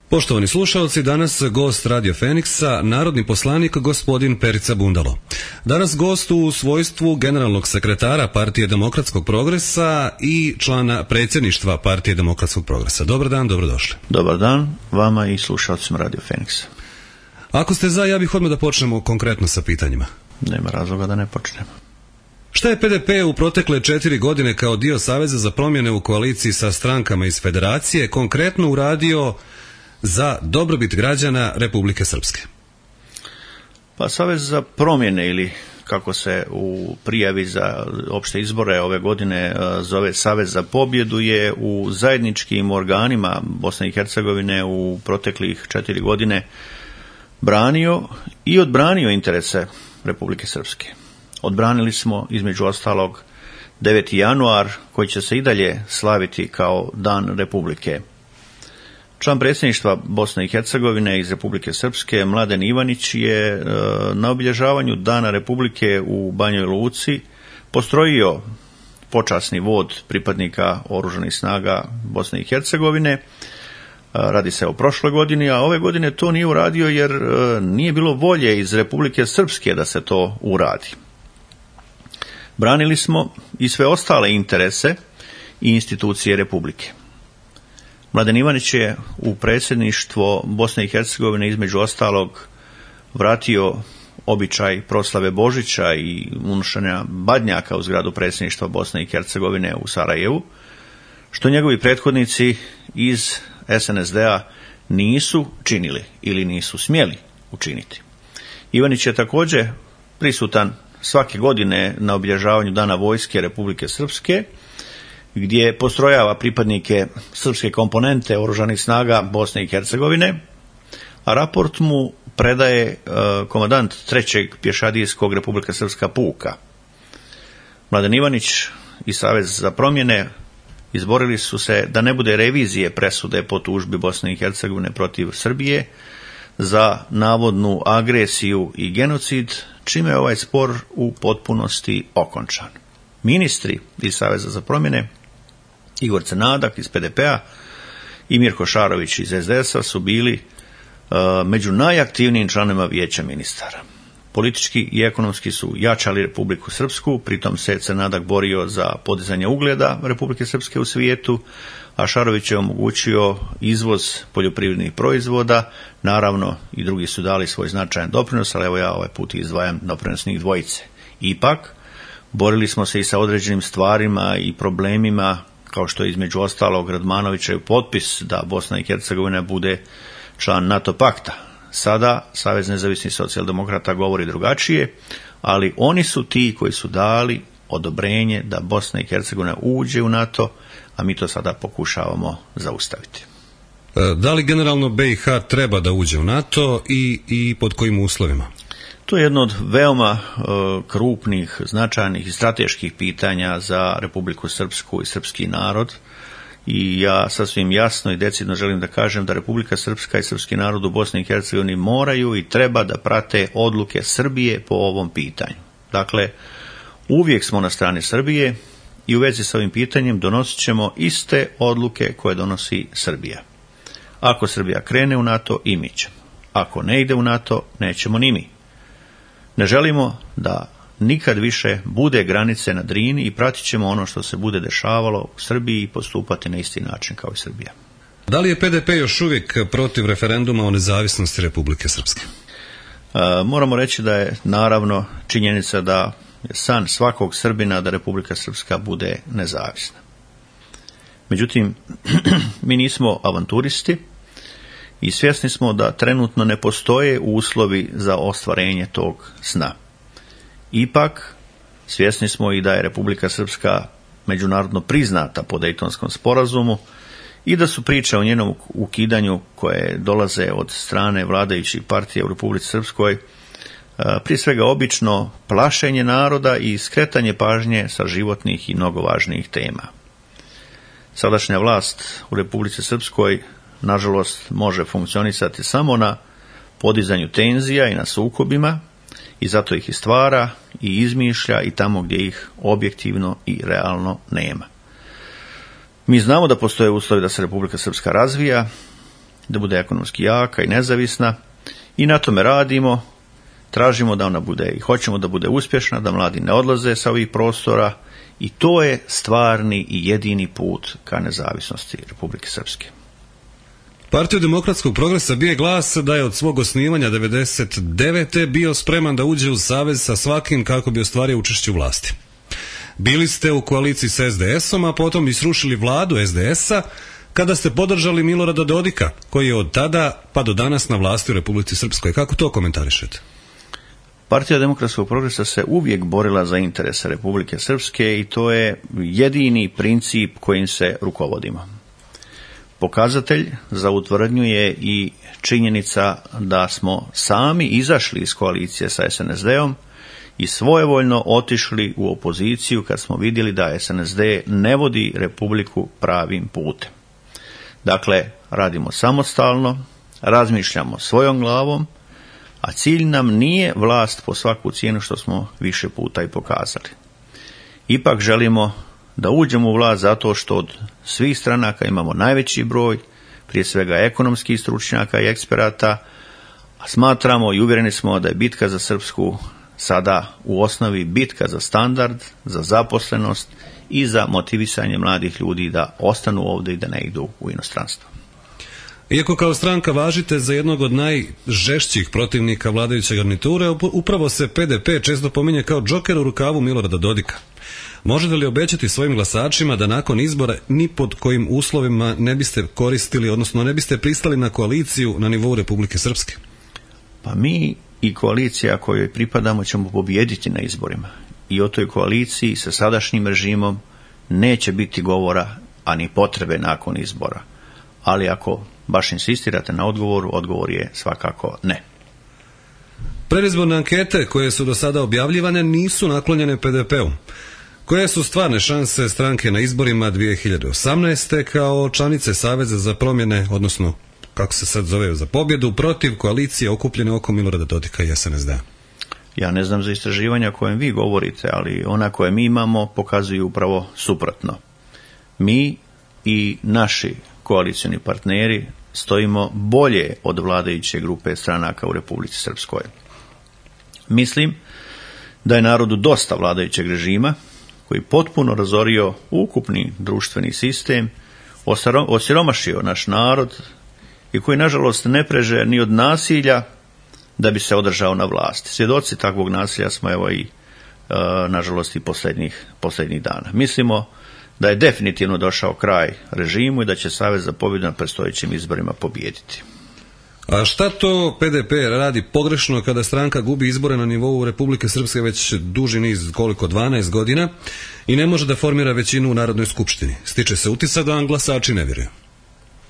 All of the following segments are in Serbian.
Poštovani slušalci, danas gost Radio Feniksa, narodni poslanik gospodin Perica Bundalo. Danas gost u svojstvu generalnog sekretara Partije demokratskog progresa i člana predsjedništva Partije demokratskog progresa. Dobar dan, dobrodošli. Dobar dan vama i slušalcima Radio Feniksa. Ako ste za, ja bih odmah da počnemo konkretno sa pitanjima. Nema razloga da ne počnemo. Šta je PDP u protekle 4 godine kao dio Saveza za promjene u koaliciji sa strankama iz Federacije konkretno uradio za dobrobit građana Republike Srpske? Pa Savez za promjene, ili kako se u prijavi za opšte izbore ove godine zove Savez za pobjedu, je u zajedničkim organima Bosne i Hercegovine u proteklih 4 godine branio i odbranio interese Republike Srpske. Odbranili smo između ostalog 9. januar koji će se i dalje slaviti kao Dan Republike. Član predsjedništva Bosne i Hercegovine iz Republike Srpske, Mladen Ivanić, je na obilježavanju Dana Republike u Banjoj Luci postrojio počasni vod pripadnika Oružanih snaga Bosne i Hercegovine. Radi se o prošloj godini, a ove godine to nije uradio jer nije bilo volje iz Republike Srpske da se to uradi. Branili smo i sve ostale interese i institucije Republike. Mladen Ivanić je u predsjedništvo Bosne i Hercegovine između ostalog vratio običaj proslave Božića i unošenja badnjaka u zgradu predsjedništva Bosne i Hercegovine u Sarajevu, što njegovi prethodnici iz SNSD-a nisu činili ili nisu smjeli učiniti. Ivanić je također prisutan svake godine na obilježavanju Dana vojske Republike Srpske, gdje postrojava pripadnike srpske komponente Oružanih snaga Bosne i Hercegovine, a raport mu predaje komandant 3. pješadijskog Republika Srpska puka. Mladen Ivanić i Savez za promjene izborili su se da ne bude revizije presude po tužbi Bosne i Hercegovine protiv Srbije za navodnu agresiju i genocid, čime je ovaj spor u potpunosti okončan. Ministri iz Saveza za promjene, Igor Crnadak iz PDP-a i Mirko Šarović iz SDS-a su bili među najaktivnijim članovima vijeća ministara. Politički i ekonomski su jačali Republiku Srpsku, pritom se Crnadak borio za podizanje ugleda Republike Srpske u svijetu, a Šarović je omogućio izvoz poljoprivrednih proizvoda. Naravno i drugi su dali svoj značajan doprinos, ali evo ja ovaj put izdvajam doprinos njih dvojice. Ipak, borili smo se i sa određenim stvarima i problemima, kao što je između ostalog Radmanovićev potpis da Bosna i Hercegovina bude član NATO pakta. Sada Savez nezavisnih socijaldemokrata govori drugačije, ali oni su ti koji su dali odobrenje da Bosna i Hercegovina uđe u NATO, a mi to sada pokušavamo zaustaviti. Da li generalno BiH treba da uđe u NATO i pod kojim uslovima? To je jedno od veoma krupnih, značajnih i strateških pitanja za Republiku Srpsku i srpski narod. I ja sasvim jasno i decidno želim da kažem da Republika Srpska i srpski narod u Bosni i Hercegovini moraju i treba da prate odluke Srbije po ovom pitanju. Dakle, uvijek smo na strani Srbije i u vezi s ovim pitanjem donosit ćemo iste odluke koje donosi Srbija. Ako Srbija krene u NATO, i mi ćemo. Ako ne ide u NATO, nećemo ni mi. Ne želimo da nikad više bude granice na Drini i pratit ćemo ono što se bude dešavalo u Srbiji i postupati na isti način kao i Srbija. Da li je PDP još uvijek protiv referenduma o nezavisnosti Republike Srpske? Moramo reći da je naravno činjenica da je san svakog Srbina da Republika Srpska bude nezavisna. Međutim, mi nismo avanturisti i svjesni smo da trenutno ne postoje uslovi za ostvarenje tog sna. Ipak, svjesni smo i da je Republika Srpska međunarodno priznata po Dejtonskom sporazumu i da su priče o njenom ukidanju koje dolaze od strane vladajućih partija u Republici Srpskoj prije svega obično plašenje naroda i skretanje pažnje sa životnih i mnogo važnijih tema. Sadašnja vlast u Republici Srpskoj nažalost može funkcionisati samo na podizanju tenzija i na sukobima i zato ih i stvara i izmišlja i tamo gdje ih objektivno i realno nema. Mi znamo da postoje uslovi da se Republika Srpska razvija da bude ekonomski jaka i nezavisna i na tome radimo. Tražimo da ona bude i hoćemo da bude uspješna, da mladi ne odlaze sa ovih prostora i to je stvarni i jedini put ka nezavisnosti Republike Srpske. Partiju demokratskog progresa bije glas da je od svog osnivanja 1999. bio spreman da uđe u savez sa svakim kako bi ostvario učešće u vlasti. Bili ste u koaliciji sa SDS-om, a potom i srušili vladu SDS-a kada ste podržali Milorada Dodika, koji je od tada pa do danas na vlasti u Republici Srpskoj. Kako to komentarišete? Partija demokratskog progresa se uvijek borila za interese Republike Srpske i to je jedini princip kojim se rukovodimo. Pokazatelj za utvrdnju je i činjenica da smo sami izašli iz koalicije sa SNSD-om i svojevoljno otišli u opoziciju kad smo vidjeli da SNSD ne vodi Republiku pravim putem. Dakle, radimo samostalno, razmišljamo svojom glavom, a cilj nam nije vlast po svaku cijenu što smo više puta i pokazali. Ipak želimo da uđemo u vlast zato što od svih stranaka imamo najveći broj, prije svega ekonomskih stručnjaka i eksperata, a smatramo i uvjereni smo da je bitka za Srpsku sada u osnovi bitka za standard, za zaposlenost i za motivisanje mladih ljudi da ostanu ovdje i da ne idu u inostranstvo. Iako kao stranka važite za jednog od najžešćih protivnika vladajuće garniture, upravo se PDP često pominje kao džoker u rukavu Milorada Dodika. Možete li obećati svojim glasačima da nakon izbora ni pod kojim uslovima ne biste koristili, odnosno ne biste pristali na koaliciju na nivou Republike Srpske? Pa mi i koalicija kojoj pripadamo ćemo pobijediti na izborima. I o toj koaliciji sa sadašnjim režimom neće biti govora, a ni potrebe nakon izbora. Ali ako baš insistirate na odgovoru, odgovor je svakako ne. Predizborne ankete koje su do sada objavljivane nisu naklonjene PDP-u. Koje su stvarne šanse stranke na izborima 2018. kao članice Saveza za promjene, odnosno kako se sad zove, za pobjedu protiv koalicije okupljene oko Milorada Dodika i SNSD-a? Ja ne znam za istraživanja kojem vi govorite, ali ona koje mi imamo pokazuju upravo suprotno. Mi i naši koalicioni partneri stojimo bolje od vladajuće grupe stranaka u Republici Srpskoj. Mislim da je narodu dosta vladajućeg režima koji potpuno razorio ukupni društveni sistem, osiromašio naš narod i koji nažalost ne preže ni od nasilja da bi se održao na vlasti. Svjedoci takvog nasilja smo evo i nažalost i posljednjih dana. Mislimo da je definitivno došao kraj režimu i da će Savez za pobjedu na predstojećim izborima pobijediti. A šta to PDP radi pogrešno kada stranka gubi izbore na nivou Republike Srpske već duži niz, 12 godina i ne može da formira većinu u Narodnoj skupštini? Stiče se utisak da vam glasači ne vjeruju.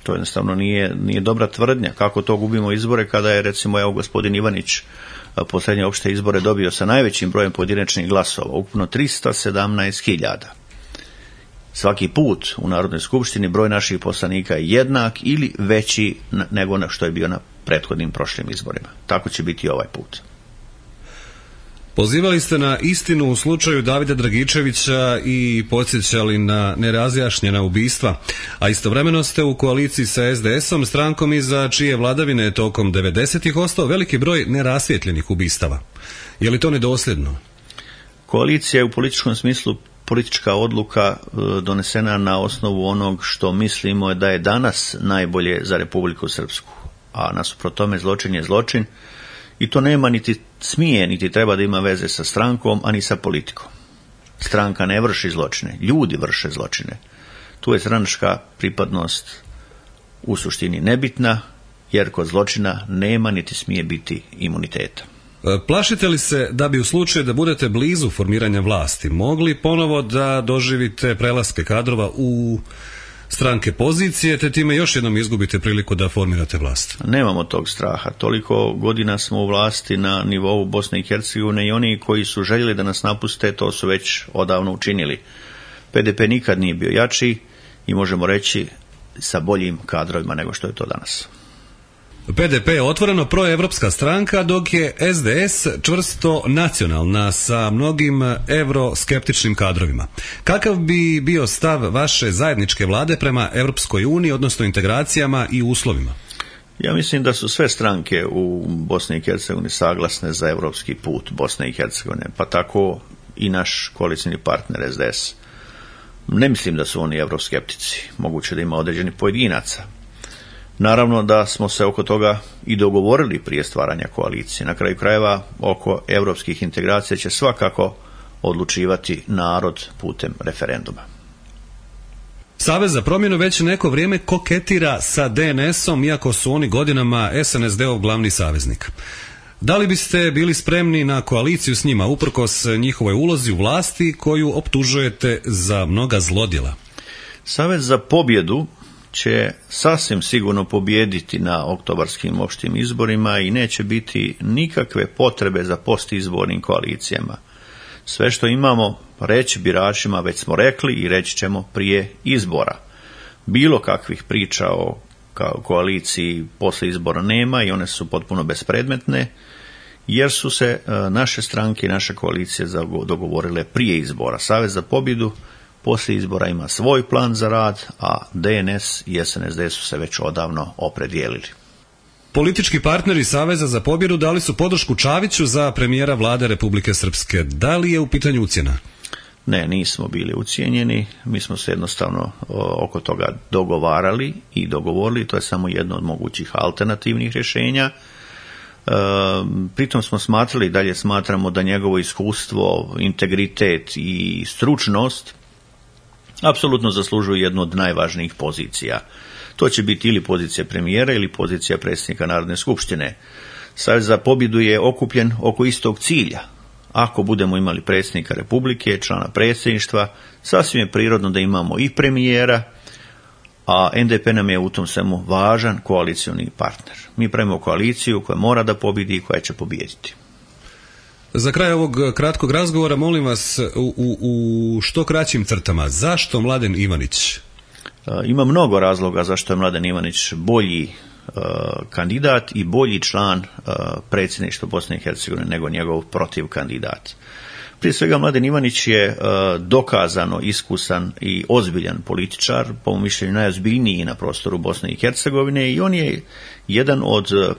To jednostavno nije dobra tvrdnja. Kako to gubimo izbore kada je recimo evo gospodin Ivanić posljednje opšte izbore dobio sa najvećim brojem pojedinačnih glasova, ukupno 317.000. Svaki put u Narodnoj skupštini broj naših poslanika je jednak ili veći nego što je bio na prethodnim prošlim izborima. Tako će biti i ovaj put. Pozivali ste na istinu u slučaju Davida Dragičevića i podsjećali na nerazjašnjena ubistva, a istovremeno ste u koaliciji sa SDS-om, strankom iza čije vladavine je tokom 90-ih ostao veliki broj nerasvjetljenih ubistava. Je li to nedosljedno? Koalicija je u političkom smislu politička odluka donesena na osnovu onog što mislimo da je danas najbolje za Republiku Srpsku, a nasuprot tome zločin je zločin i to nema niti smije, niti treba da ima veze sa strankom, a ni sa politikom. Stranka ne vrši zločine, ljudi vrše zločine. Tu je stranačka pripadnost u suštini nebitna, jer kod zločina nema niti smije biti imuniteta. Plašite li se da bi u slučaju da budete blizu formiranja vlasti mogli ponovo da doživite prelaske kadrova u stranke pozicije, te time još jednom izgubite priliku da formirate vlast? Nemamo tog straha. Toliko godina smo u vlasti na nivou Bosne i Hercegovine i oni koji su željeli da nas napuste, to su već odavno učinili. PDP nikad nije bio jači i možemo reći sa boljim kadrovima nego što je to danas. PDP je otvoreno proevropska stranka, dok je SDS čvrsto nacionalna sa mnogim evroskeptičnim kadrovima. Kakav bi bio stav vaše zajedničke vlade prema Europskoj uniji, odnosno integracijama i uslovima? Ja mislim da su sve stranke u Bosni i Hercegovini saglasne za europski put Bosne i Hercegovine, pa tako i naš koalicijni partner SDS. Ne mislim da su oni euroskeptici, moguće da ima određeni pojedinaca. Naravno da smo se oko toga i dogovorili prije stvaranja koalicije. Na kraju krajeva oko europskih integracija će svakako odlučivati narod putem referenduma. Savez za promjenu već neko vrijeme koketira sa DNS-om, iako su oni godinama SNSD-ov glavni saveznik. Da li biste bili spremni na koaliciju s njima, uprkos njihovoj ulozi u vlasti koju optužujete za mnoga zlodjela? Savez za pobjedu će sasvim sigurno pobijediti na oktobarskim opštim izborima i neće biti nikakve potrebe za postizbornim koalicijama. Sve što imamo reći biračima već smo rekli i reći ćemo prije izbora. Bilo kakvih priča o koaliciji posle izbora nema i one su potpuno bespredmetne, jer su se naše stranke i naše koalicije dogovorile prije izbora. Savez za pobjedu poslije izbora ima svoj plan za rad, a DNS i SNSD su se već odavno opredijelili. Politički partneri Saveza za pobjedu dali su podršku Čaviću za premijera vlade Republike Srpske. Da li je u pitanju ucjena? Ne, nismo bili ucijenjeni, mi smo se jednostavno oko toga dogovarali i dogovorili, to je samo jedno od mogućih alternativnih rješenja. Pritom smo smatrali i dalje smatramo da njegovo iskustvo, integritet i stručnost apsolutno zaslužuju jednu od najvažnijih pozicija. To će biti ili pozicija premijera ili pozicija predsjednika Narodne skupštine. Savez za pobjedu je okupljen oko istog cilja. Ako budemo imali predsjednika Republike, člana predsjedništva, sasvim je prirodno da imamo i premijera, a NDP nam je u tom svemu važan koalicioni partner. Mi pravimo koaliciju koja mora da pobjedi i koja će pobijediti. Za kraj ovog kratkog razgovora molim vas u što kraćim crtama, zašto Mladen Ivanić? Ima mnogo razloga zašto je Mladen Ivanić bolji kandidat i bolji član predsjedništva Bosne i Hercegovine nego njegov protiv kandidat. Prije svega Mladen Ivanić je dokazano iskusan i ozbiljan političar, po mom mišljenju najozbiljniji na prostoru Bosne i Hercegovine, i on je jedan od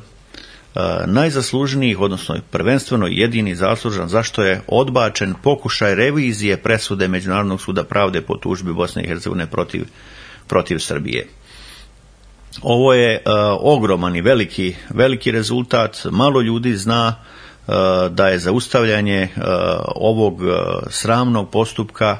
najzaslužnijih, odnosno prvenstveno jedini zaslužan zašto je odbačen pokušaj revizije presude Međunarodnog suda pravde po tužbi Bosne i Hercegovine protiv Srbije. Ovo je ogroman i veliki rezultat. Malo ljudi zna da je zaustavljanje ovog sramnog postupka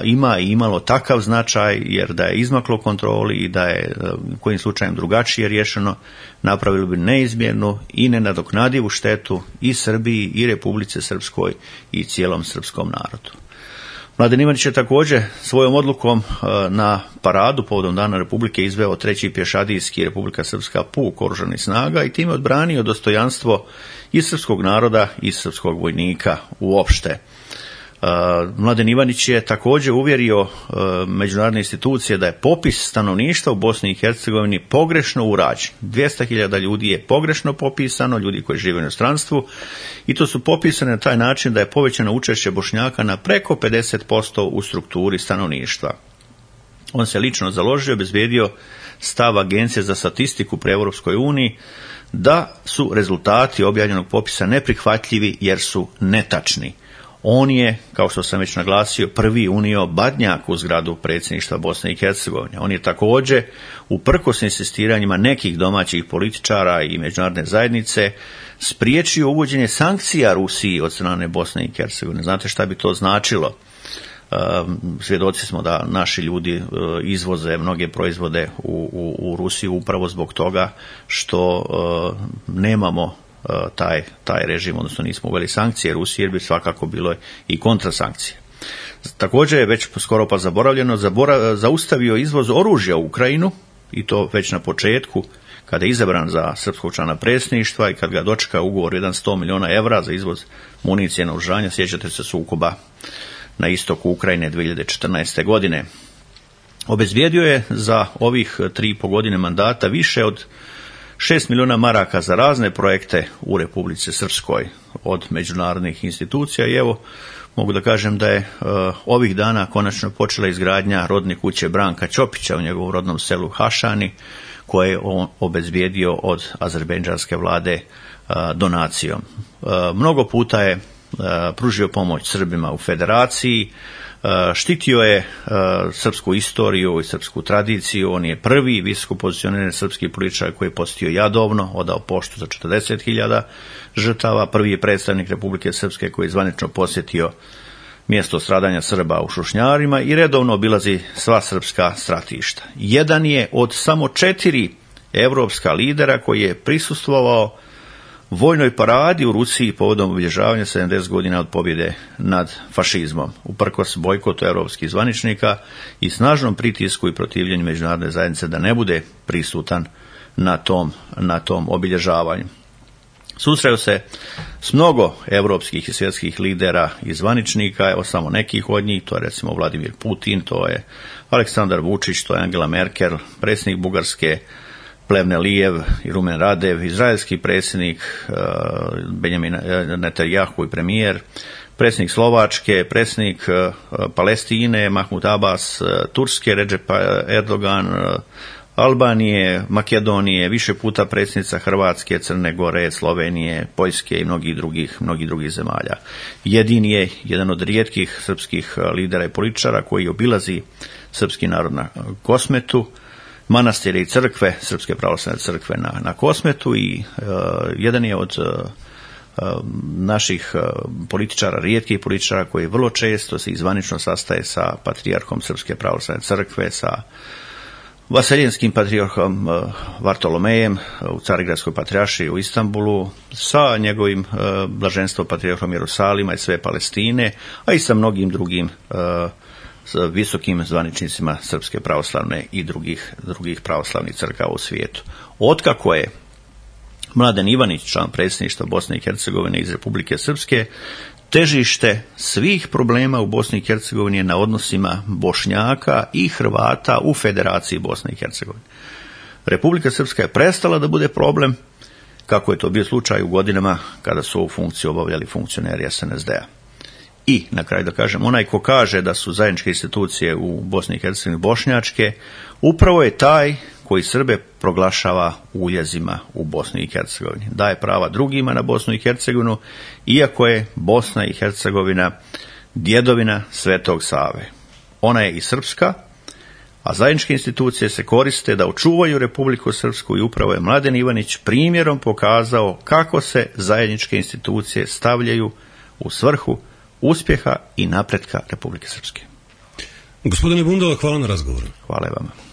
ima i imalo takav značaj, jer da je izmaklo kontroli i da je kojim slučajem drugačije riješeno, napravilo bi neizmjernu i nenadoknadivu štetu i Srbiji i Republici Srpskoj i cijelom srpskom narodu. Mladen Ivanić je također svojom odlukom na paradu povodom Dana Republike izveo 3. pješadijski Republika Srpska puk oružanih snaga i time odbranio dostojanstvo i srpskog naroda i srpskog vojnika uopšte. Mladen Ivanić je također uvjerio međunarodne institucije da je popis stanovništva u Bosni i Hercegovini pogrešno urađen. 200.000 ljudi je pogrešno popisano, ljudi koji žive u inostranstvu, i to su popisane na taj način da je povećano učešće Bošnjaka na preko 50% u strukturi stanovništva. On se lično založio, obezbijedio stav Agencije za statistiku pri Europskoj uniji da su rezultati objavljenog popisa neprihvatljivi jer su netačni. On je, kao što sam već naglasio, prvi unio Badnjak u zgradu predsjedništva Bosne i Hercegovine. On je također, uprkos insistiranjima nekih domaćih političara i međunarodne zajednice, spriječio uvođenje sankcija Rusiji od strane Bosne i Hercegovine. Znate šta bi to značilo? Svjedoci smo da naši ljudi izvoze mnoge proizvode u Rusiju upravo zbog toga što nemamo taj režim, odnosno nismo uveli sankcije Rusije, jer bi svakako bilo i kontrasankcije. Također je već skoro pa zaboravljeno, zaustavio izvoz oružja u Ukrajinu, i to već na početku, kada je izabran za srpskog člana predsjedništva i kad ga dočeka ugovor 100 milijuna evra za izvoz municije na oružanje. Sjećate se sukoba na istoku Ukrajine 2014. godine. Obezbijedio je za ovih 3,5 godine mandata više od 6 milijuna maraka za razne projekte u Republici Srpskoj od međunarodnih institucija, i evo mogu da kažem da je ovih dana konačno počela izgradnja rodne kuće Branka Ćopića u njegovom rodnom selu Hašani, koje je on obezbijedio od azerbejdžanske vlade donacijom. Mnogo puta je pružio pomoć Srbima u federaciji, štitio je srpsku istoriju i srpsku tradiciju, on je prvi visoko pozicioniran srpski političar koji je posjetio Jadovno, odao poštu za 40.000 žrtava, prvi je predstavnik Republike Srpske koji je zvanično posjetio mjesto stradanja Srba u Šušnjarima i redovno obilazi sva srpska stratišta. Jedan je od samo 4 evropska lidera koji je prisustvovao vojnoj paradi u Rusiji povodom obilježavanja 70 godina od pobjede nad fašizmom, uprkos bojkotu europskih zvaničnika i snažnom pritisku i protivljenju međunarodne zajednice da ne bude prisutan na tom obilježavanju. Susreo se s mnogo europskih i svjetskih lidera i zvaničnika, evo samo nekih od njih, to je recimo Vladimir Putin, to je Aleksandar Vučić, to je Angela Merkel, predsjednik Bugarske Plevne Lijev i Rumen Radev, izraelski predsjednik Benjamin Netanjahu i premijer, predsjednik Slovačke, predsjednik Palestine Mahmud Abbas, Turske Recep Erdogan, Albanije, Makedonije, više puta predsjednica Hrvatske, Crne Gore, Slovenije, Poljske i mnogih drugih zemalja. Jedini je jedan od rijetkih srpskih lidera i političara koji obilazi srpski narod na Kosmetu, manastire i crkve, Srpske pravoslavne crkve na Kosmetu i jedan je od naših političara, rijetkih političara koji vrlo često se izvanično sastaje sa patrijarhom Srpske pravoslavne crkve, sa Vaseljinskim patrijarhom Vartolomejem u Carigradskoj patrijaršiji u Istanbulu, sa njegovim blaženstvom patrijarhom Jerusalima i sve Palestine, a i sa mnogim drugim visokim zvaničnicima Srpske pravoslavne i drugih pravoslavnih crkava u svijetu. Otkako je Mladen Ivanić, član predsjedništva Bosne i Hercegovine iz Republike Srpske, težište svih problema u Bosni i Hercegovini je na odnosima Bošnjaka i Hrvata u Federaciji Bosne i Hercegovine. Republika Srpska je prestala da bude problem, kako je to bio slučaj u godinama kada su ovu funkciju obavljali funkcioneri SNSD-a. I, na kraju da kažem, onaj ko kaže da su zajedničke institucije u Bosni i Hercegovini bošnjačke, upravo je taj koji Srbe proglašava uljezima u Bosni i Hercegovini. Daje prava drugima na Bosnu i Hercegovinu, iako je Bosna i Hercegovina djedovina Svetog Save. Ona je i srpska, a zajedničke institucije se koriste da očuvaju Republiku Srpsku i upravo je Mladen Ivanić primjerom pokazao kako se zajedničke institucije stavljaju u svrhu uspjeha i napretka Republike Srpske. Gospodine Bundalo, hvala na razgovoru. Hvala vam.